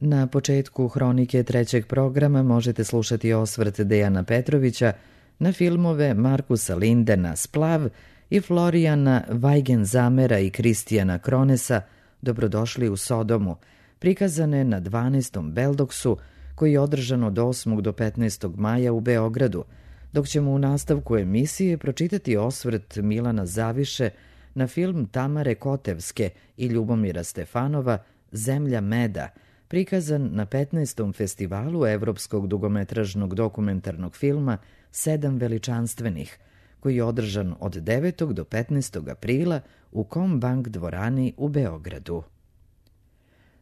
Na početku hronike trećeg programa možete slušati osvrt Dejana Petrovića na filmove Markusa Lindena Splav i Florijana Weigenzamera i Kristijana Kronesa Dobrodošli u Sodomu, prikazane na 12. Beldoksu, koji je održan od 8. do 15. maja u Beogradu, dok ćemo u nastavku emisije pročitati osvrt Milana Zaviše na film Tamare Kotevske i Ljubomira Stefanova Zemlja meda, prikazan na 15. festivalu evropskog dugometražnog dokumentarnog filma Sedam veličanstvenih, koji je održan od 9. do 15. aprila u Kombank dvorani u Beogradu.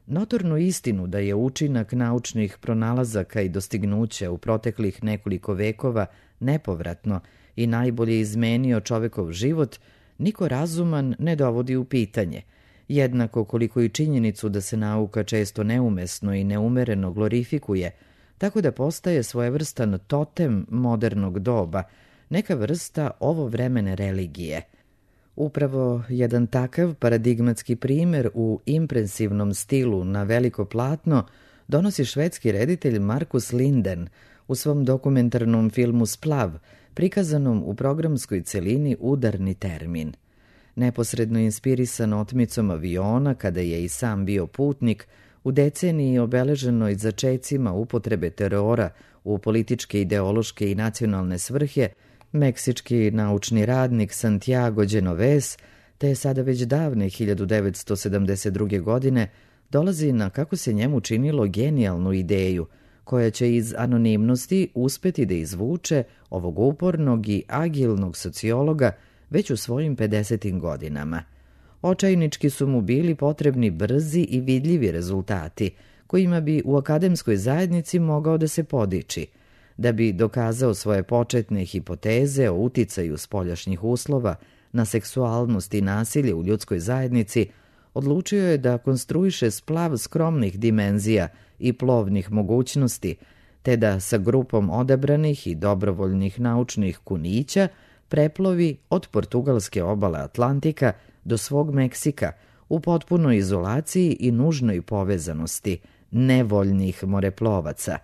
Notornu istinu da je učinak naučnih pronalazaka i dostignuća u proteklih nekoliko vekova nepovratno i najbolje izmenio čovekov život, niko razuman ne dovodi u pitanje, jednako koliko i činjenicu da se nauka često neumesno i neumereno glorifikuje, tako da postaje svojevrstan totem modernog doba, neka vrsta ovovremene religije. Upravo jedan takav paradigmatski primer u impresivnom stilu na veliko platno donosi švedski reditelj Markus Linden u svom dokumentarnom filmu Splav, prikazanom u programskoj celini Udarni termin. Neposredno inspirisan otmicom aviona, kada je i sam bio putnik, u deceniji obeleženoj začecima upotrebe terora u političke, ideološke i nacionalne svrhe, meksički naučni radnik Santiago Genovez, te sada već davne 1972. godine, dolazi na, kako se njemu činilo, genijalnu ideju, koja će iz anonimnosti uspeti da izvuče ovog upornog i agilnog sociologa već u svojim 50. godinama. Očajnički su mu bili potrebni brzi i vidljivi rezultati, kojima bi u akademskoj zajednici mogao da se podiči. Da bi dokazao svoje početne hipoteze o uticaju spoljašnjih uslova na seksualnost i nasilje u ljudskoj zajednici, odlučio je da konstruiše splav skromnih dimenzija i plovnih mogućnosti, te da sa grupom odabranih i dobrovoljnih naučnih kunića preplovi od portugalske obale Atlantika do svog Meksika u potpunoj izolaciji i nužnoj povezanosti nevoljnih moreplovaca.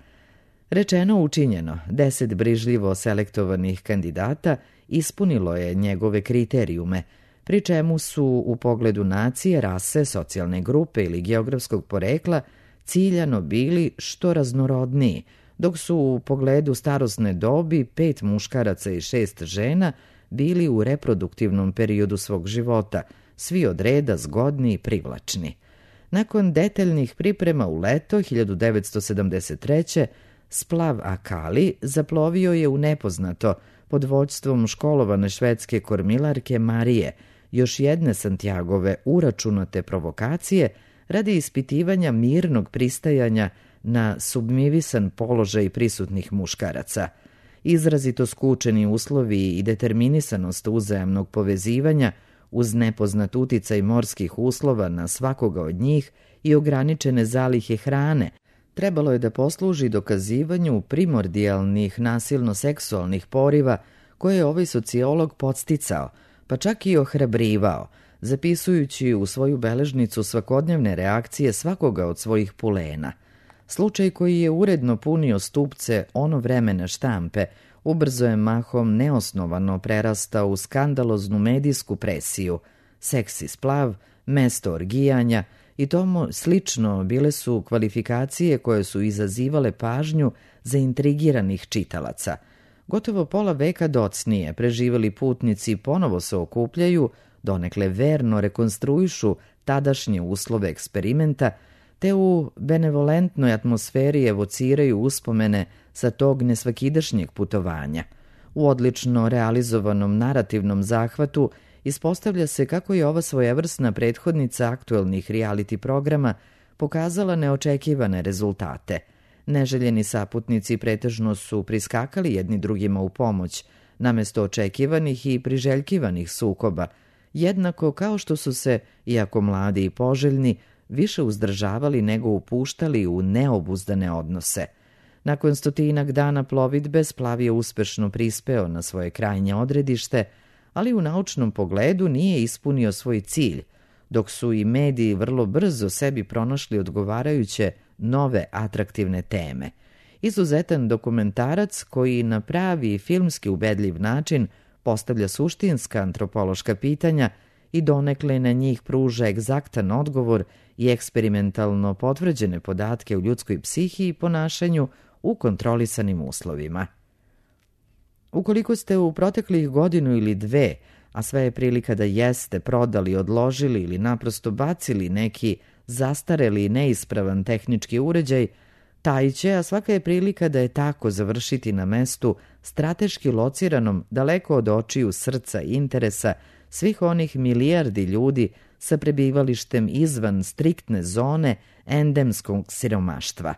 Rečeno učinjeno, 10 brižljivo selektovanih kandidata ispunilo je njegove kriterijume, pri čemu su u pogledu nacije, rase, socijalne grupe ili geografskog porekla ciljano bili što raznorodniji, dok su u pogledu starosne dobi 5 muškaraca i 6 žena bili u reproduktivnom periodu svog života, svi od reda zgodni i privlačni. Nakon detaljnih priprema u leto 1973. Splav Akali zaplovio je u nepoznato pod vođstvom školovane švedske kormilarke Marije, još jedne Santiagove uračunate provokacije radi ispitivanja mirnog pristajanja na submivisan položaj prisutnih muškaraca. Izrazito skučeni uslovi i determinisanost uzajamnog povezivanja uz nepoznat uticaj morskih uslova na svakoga od njih i ograničene zalihe hrane trebalo je da posluži dokazivanju primordijalnih nasilno-seksualnih poriva koje je ovaj sociolog podsticao, pa čak i ohrabrivao, zapisujući u svoju beležnicu svakodnevne reakcije svakoga od svojih pulena. Slučaj koji je uredno punio stupce ono vremena štampe, ubrzo je mahom neosnovano prerastao u skandaloznu medijsku presiju. Seksi splav, mesto orgijanja i tomu slično bile su kvalifikacije koje su izazivale pažnju zaintrigiranih čitalaca. Gotovo pola veka docnije preživeli putnici ponovo se okupljaju, donekle verno rekonstruišu tadašnje uslove eksperimenta, te u benevolentnoj atmosferi evociraju uspomene sa tog nesvakidašnjeg putovanja. U odlično realizovanom narativnom zahvatu ispostavlja se kako je ova svojevrsna prethodnica aktuelnih reality programa pokazala neočekivane rezultate. Neželjeni saputnici pretežno su priskakali jedni drugima u pomoć, namesto očekivanih i priželjkivanih sukoba, jednako kao što su se, iako mladi i poželjni, više uzdržavali nego upuštali u neobuzdane odnose. Nakon 100 dana plovidbe splav je uspešno prispeo na svoje krajnje odredište, ali u naučnom pogledu nije ispunio svoj cilj. dok su i mediji vrlo brzo sebi pronašli odgovarajuće nove atraktivne teme. Izuzetan dokumentarac koji na pravi i filmski ubedljiv način postavlja suštinska antropološka pitanja i donekle na njih pruža egzaktan odgovor i eksperimentalno potvrđene podatke o ljudskoj psihi i ponašanju u kontrolisanim uslovima. Ukoliko ste u proteklih godinu ili dve, a sve je prilika da jeste, prodali, odložili ili naprosto bacili neki zastareli i neispravan tehnički uređaj, taj će, a svaka je prilika da je tako, završiti na mestu strateški lociranom daleko od očiju, srca i interesa svih onih milijardi ljudi sa prebivalištem izvan striktne zone endemskog siromaštva.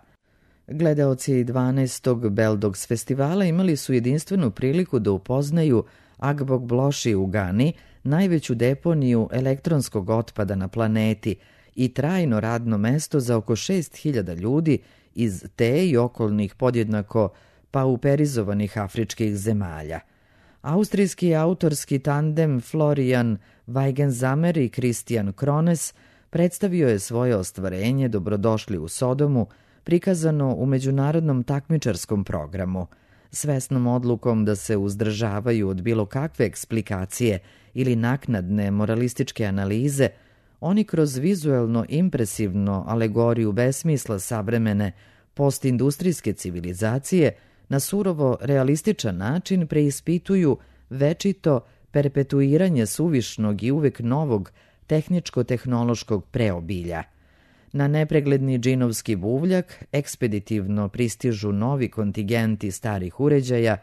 Gledaoci 12. Beldogs festivala imali su jedinstvenu priliku da upoznaju Agbog-Bloši u Gani, najveću deponiju elektronskog otpada na planeti i trajno radno mesto za oko 6.000 ljudi iz te i okolnih podjednako pauperizovanih afričkih zemalja. Austrijski autorski tandem Florian Weigenzamer i Christian Krones predstavio je svoje ostvarenje Dobrodošli u Sodomu, prikazano u međunarodnom takmičarskom programu. Svesnom odlukom da se uzdržavaju od bilo kakve eksplikacije ili naknadne moralističke analize, oni kroz vizuelno impresivno alegoriju besmisla savremene postindustrijske civilizacije na surovo realističan način preispituju večito perpetuiranje suvišnog i uvek novog tehničko-tehnološkog preobilja. Na nepregledni džinovski buvljak ekspeditivno pristižu novi kontingenti starih uređaja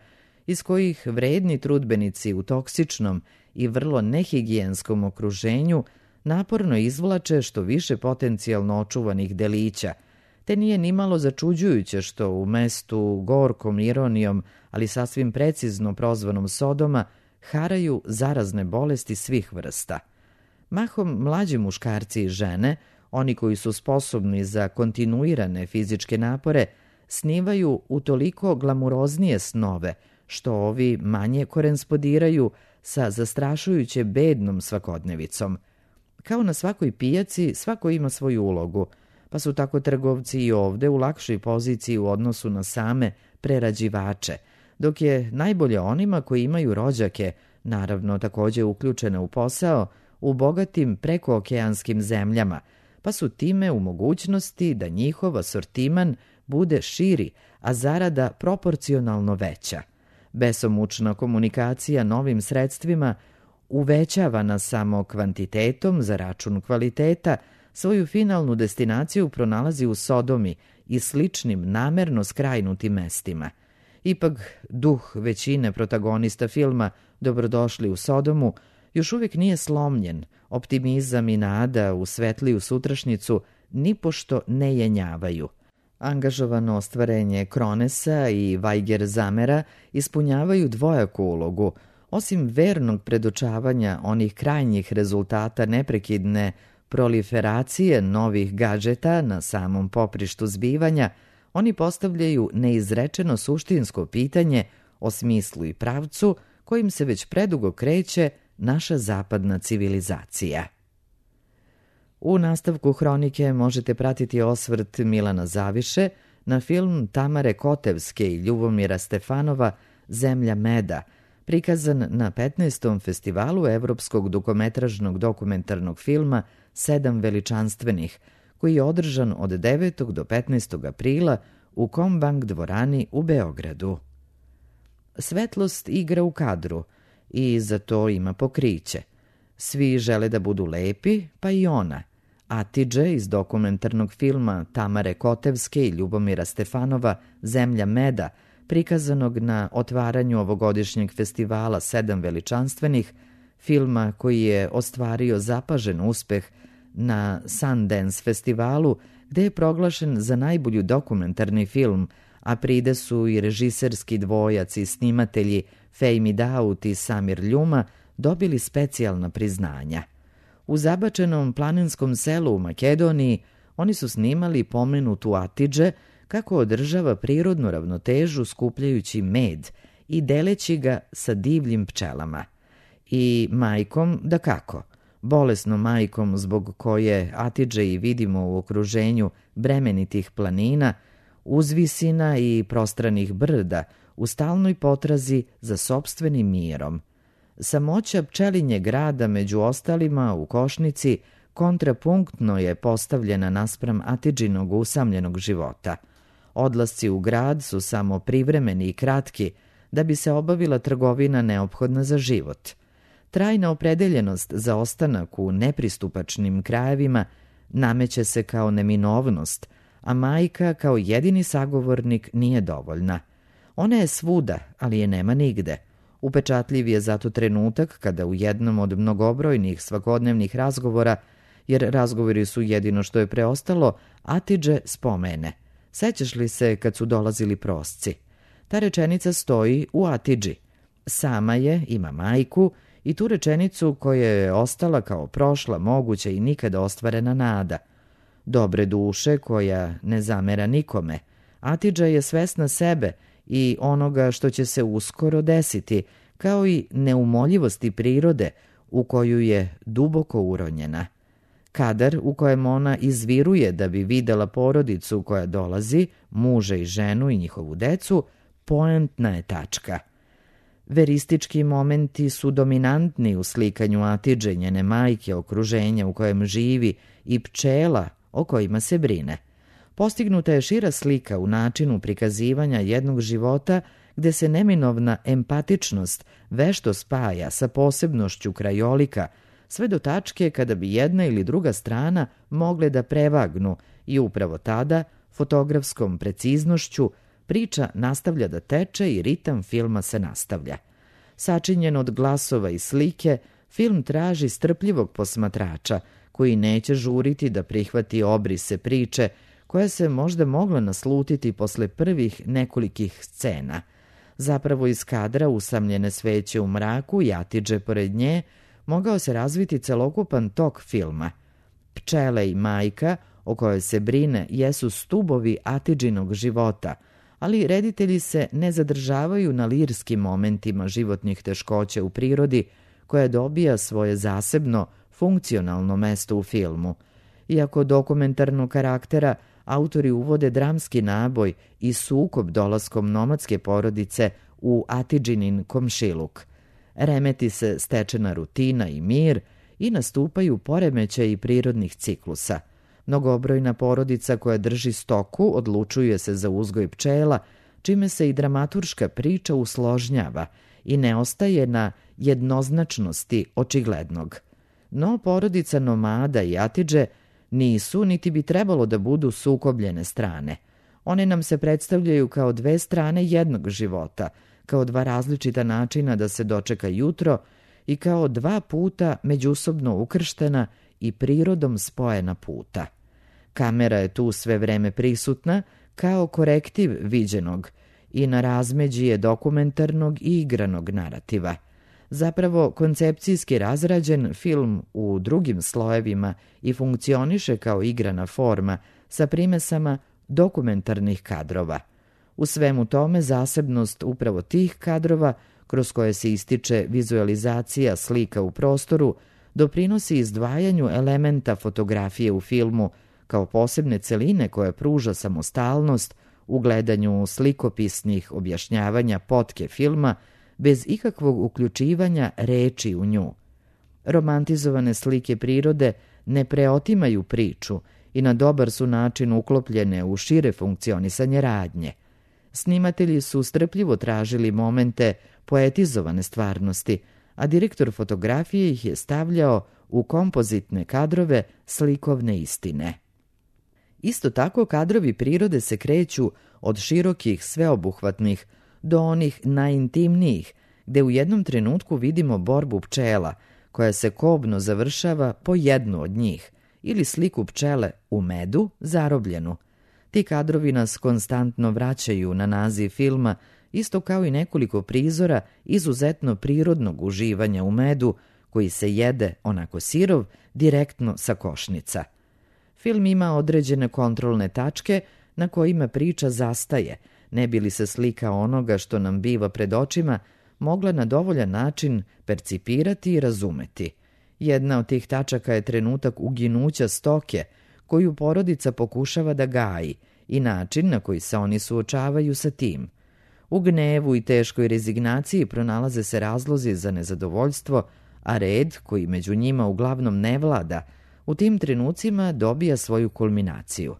iz kojih vredni trudbenici u toksičnom i vrlo nehigijenskom okruženju naporno izvlače što više potencijalno očuvanih delića, te nije nimalo začuđujuće što u mestu gorkom ironijom, ali sasvim precizno prozvanom Sodoma, haraju zarazne bolesti svih vrsta. Mahom mlađi muškarci i žene, oni koji su sposobni za kontinuirane fizičke napore, snivaju utoliko glamuroznije snove, što ovi manje korespondiraju sa zastrašujuće bednom svakodnevicom. Kao na svakoj pijaci, svako ima svoju ulogu, pa su tako trgovci i ovde u lakšoj poziciji u odnosu na same prerađivače, dok je najbolje onima koji imaju rođake, naravno takođe uključene u posao, u bogatim prekookeanskim zemljama, pa su time u mogućnosti da njihov asortiman bude širi, a zarada proporcionalno veća. Besomučna komunikacija novim sredstvima, uvećavana samo kvantitetom za račun kvaliteta, svoju finalnu destinaciju pronalazi u Sodomi i sličnim namerno skrajnutim mestima. Ipak, duh većine protagonista filma Dobrodošli u Sodomu još uvijek nije slomljen, optimizam i nada u svetliju sutrašnjicu nipošto ne jenjavaju. Angažovano ostvarenje Kronesa i Weigerzamera ispunjavaju dvojaku ulogu, osim vernog predočavanja onih krajnjih rezultata neprekidne proliferacije novih gadžeta na samom poprištu zbivanja, oni postavljaju neizrečeno suštinsko pitanje o smislu i pravcu kojim se već predugo kreće naša zapadna civilizacija. U nastavku hronike možete pratiti osvrt Milana Zaviše na film Tamare Kotevske i Ljubomira Stefanova Zemlja meda, prikazan na 15. festivalu Evropskog dugometražnog dokumentarnog filma Sedam veličanstvenih, koji je održan od 9. do 15. aprila u Kombank dvorani u Beogradu. Svetlost igra u kadru i za to ima pokriće. Svi žele da budu lepi, pa i ona. Atidže iz dokumentarnog filma Tamare Kotevske i Ljubomira Stefanova Zemlja meda, prikazanog na otvaranju ovogodišnjeg festivala Sedam veličanstvenih, filma koji je ostvario zapažen uspeh na Sundance festivalu, gde je proglašen za najbolji dokumentarni film, a pride su i režiserski dvojac i snimatelji Fejmi Daut i Samir Ljuma dobili specijalna priznanja. U zabačenom planinskom selu u Makedoniji oni su snimali pomenutu Atidže kako održava prirodnu ravnotežu skupljajući med i deleći ga sa divljim pčelama. I majkom, da kako, bolesnom majkom zbog koje Atidže i vidimo u okruženju bremenitih planina, uzvisina i prostranih brda u stalnoj potrazi za sopstvenim mirom. Samoća pčelinje grada među ostalima u Košnici kontrapunktno je postavljena naspram Atidžinog usamljenog života. Odlasci u grad su samo privremeni i kratki da bi se obavila trgovina neophodna za život. Trajna opredeljenost za ostanak u nepristupačnim krajevima nameće se kao neminovnost, a majka kao jedini sagovornik nije dovoljna. Ona je svuda, ali je nema nigde. Upečatljiv je zato trenutak kada u jednom od mnogobrojnih svakodnevnih razgovora, jer razgovori su jedino što je preostalo, Atidže spomene: sećaš li se kad su dolazili prosci? Ta rečenica stoji u Atidži. Sama je, ima majku, i tu rečenicu koja je ostala kao prošla, moguća i nikada ostvarena nada. Dobre duše koja ne zamera nikome, Atidža je svesna sebe i onoga što će se uskoro desiti, kao i neumoljivosti prirode u koju je duboko uronjena. Kadar u kojem ona izviruje da bi videla porodicu koja dolazi, muža i ženu i njihovu decu, poentna je tačka. Veristički momenti su dominantni u slikanju Atidže, njene majke, okruženja u kojem živi i pčela o kojima se brine. Postignuta je šira slika u načinu prikazivanja jednog života gde se neminovna empatičnost vešto spaja sa posebnošću krajolika, sve do tačke kada bi jedna ili druga strana mogle da prevagnu i upravo tada, fotografskom preciznošću, priča nastavlja da teče i ritam filma se nastavlja. Sačinjen od glasova i slike, film traži strpljivog posmatrača koji neće žuriti da prihvati obrise priče koja se možda mogla naslutiti posle prvih nekolikih scena. Zapravo iz kadra usamljene sveće u mraku i Atidže pored nje mogao se razviti celokupan tok filma. Pčele i majka, o kojoj se brine, jesu stubovi Atidžinog života, ali reditelji se ne zadržavaju na lirskim momentima životnih teškoća u prirodi, koja dobija svoje zasebno, funkcionalno mesto u filmu. Iako dokumentarnog karaktera, autori uvode dramski naboj i sukob dolaskom nomadske porodice u Atidžinin komšiluk. Remeti se stečena rutina i mir i nastupaju poremećaji prirodnih ciklusa. Mnogobrojna porodica koja drži stoku odlučuje se za uzgoj pčela, čime se i dramaturška priča usložnjava i ne ostaje na jednoznačnosti očiglednog. No porodica nomada i Atidže nisu niti bi trebalo da budu sukobljene strane. One nam se predstavljaju kao dve strane jednog života, kao dva različita načina da se dočeka jutro i kao dva puta međusobno ukrštena i prirodom spojena puta. Kamera je tu sve vreme prisutna kao korektiv viđenog i na razmeđi je dokumentarnog i igranog narativa. Zapravo, koncepcijski razrađen, film u drugim slojevima i funkcioniše kao igrana forma sa primesama dokumentarnih kadrova. U svemu tome zasebnost upravo tih kadrova, kroz koje se ističe vizualizacija slika u prostoru, doprinosi izdvajanju elementa fotografije u filmu kao posebne celine koja pruža samostalnost u gledanju slikopisnih objašnjavanja potke filma bez ikakvog uključivanja reči u nju. Romantizovane slike prirode ne preotimaju priču i na dobar su način uklopljene u šire funkcionisanje radnje. Snimatelji su strpljivo tražili momente poetizovane stvarnosti, a direktor fotografije ih je stavljao u kompozitne kadrove slikovne istine. Isto tako, kadrovi prirode se kreću od širokih, sveobuhvatnih do onih najintimnijih, gde u jednom trenutku vidimo borbu pčela, koja se kobno završava po jednu od njih, ili sliku pčele u medu zarobljenu. Ti kadrovi nas konstantno vraćaju na naziv filma, isto kao i nekoliko prizora izuzetno prirodnog uživanja u medu, koji se jede, onako sirov, direktno sa košnica. Film ima određene kontrolne tačke na kojima priča zastaje, ne bi li se slika onoga što nam biva pred očima mogla na dovoljan način percipirati i razumeti. Jedna od tih tačaka je trenutak uginuća stoke, koju porodica pokušava da gaji, i način na koji se oni suočavaju sa tim. U gnevu i teškoj rezignaciji pronalaze se razlozi za nezadovoljstvo, a red, koji među njima uglavnom ne vlada, u tim trenucima dobija svoju kulminaciju.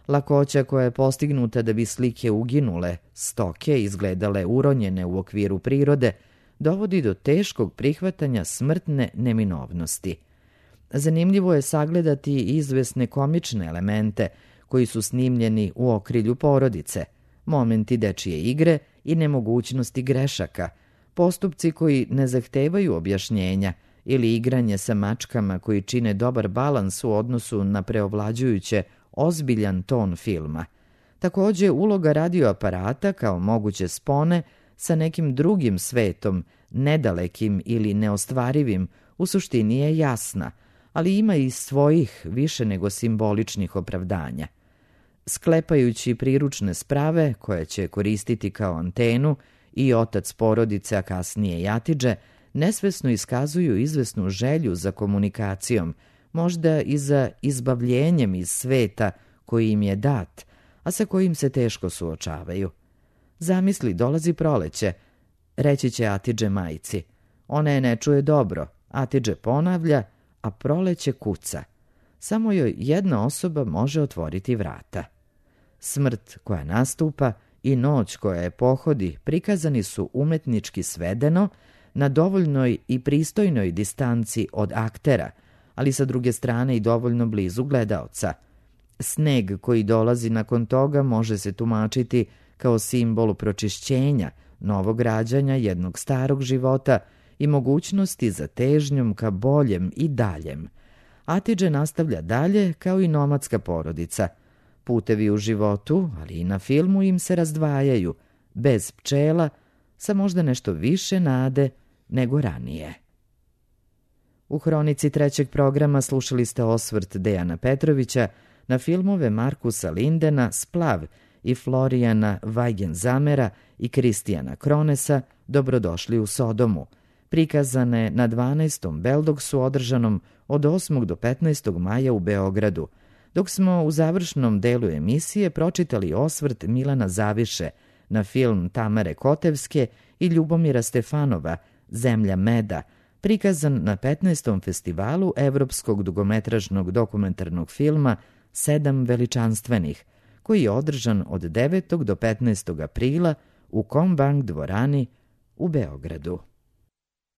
Lakoća koja je postignuta da bi slike uginule, stoke izgledale uronjene u okviru prirode, dovodi do teškog prihvatanja smrtne neminovnosti. Zanimljivo je sagledati izvesne komične elemente koji su snimljeni u okrilju porodice, momenti dečije igre i nemogućnosti grešaka, postupci koji ne zahtevaju objašnjenja ili igranje sa mačkama koji čine dobar balans u odnosu na preovlađujuće ozbiljan ton filma. Takođe, uloga radioaparata kao moguće spone sa nekim drugim svetom, nedalekim ili neostvarivim, u suštini je jasna, ali ima i svojih više nego simboličnih opravdanja. Sklepajući priručne sprave koje će koristiti kao antenu, i otac porodice, a kasnije i Atidže, nesvesno iskazuju izvesnu želju za komunikacijom, možda i za izbavljenjem iz sveta koji im je dat, a sa kojim se teško suočavaju. Zamisli, dolazi proleće, reći će Atidže majci. Ona je ne čuje dobro, Atidže ponavlja, a proleće kuca. Samo joj jedna osoba može otvoriti vrata. Smrt koja nastupa i noć koja je pohodi prikazani su umetnički svedeno, na dovoljnoj i pristojnoj distanci od aktera, ali sa druge strane i dovoljno blizu gledaoca. Sneg koji dolazi nakon toga može se tumačiti kao simbol pročišćenja, novog rađanja jednog starog života i mogućnosti za težnjom ka boljem i daljem. Atidže nastavlja dalje kao i nomadska porodica. Putevi u životu, ali i na filmu im se razdvajaju, bez pčela, sa možda nešto više nade nego ranije. U hronici trećeg programa slušali ste osvrt Dejana Petrovića na filmove Markusa Lindena Splav i Florijana Vajgenzamera i Kristijana Kronesa Dobrodošli u Sodomu, prikazane na 12. Beldogsu održanom od 8. do 15. maja u Beogradu, dok smo u završnom delu emisije pročitali osvrt Milana Zaviše na film Tamare Kotevske i Ljubomira Stefanova Zemlja meda, prikazan na 15. festivalu evropskog dugometražnog dokumentarnog filma 7 veličanstvenih, koji je održan od 9. do 15. aprila u Kombank dvorani u Beogradu.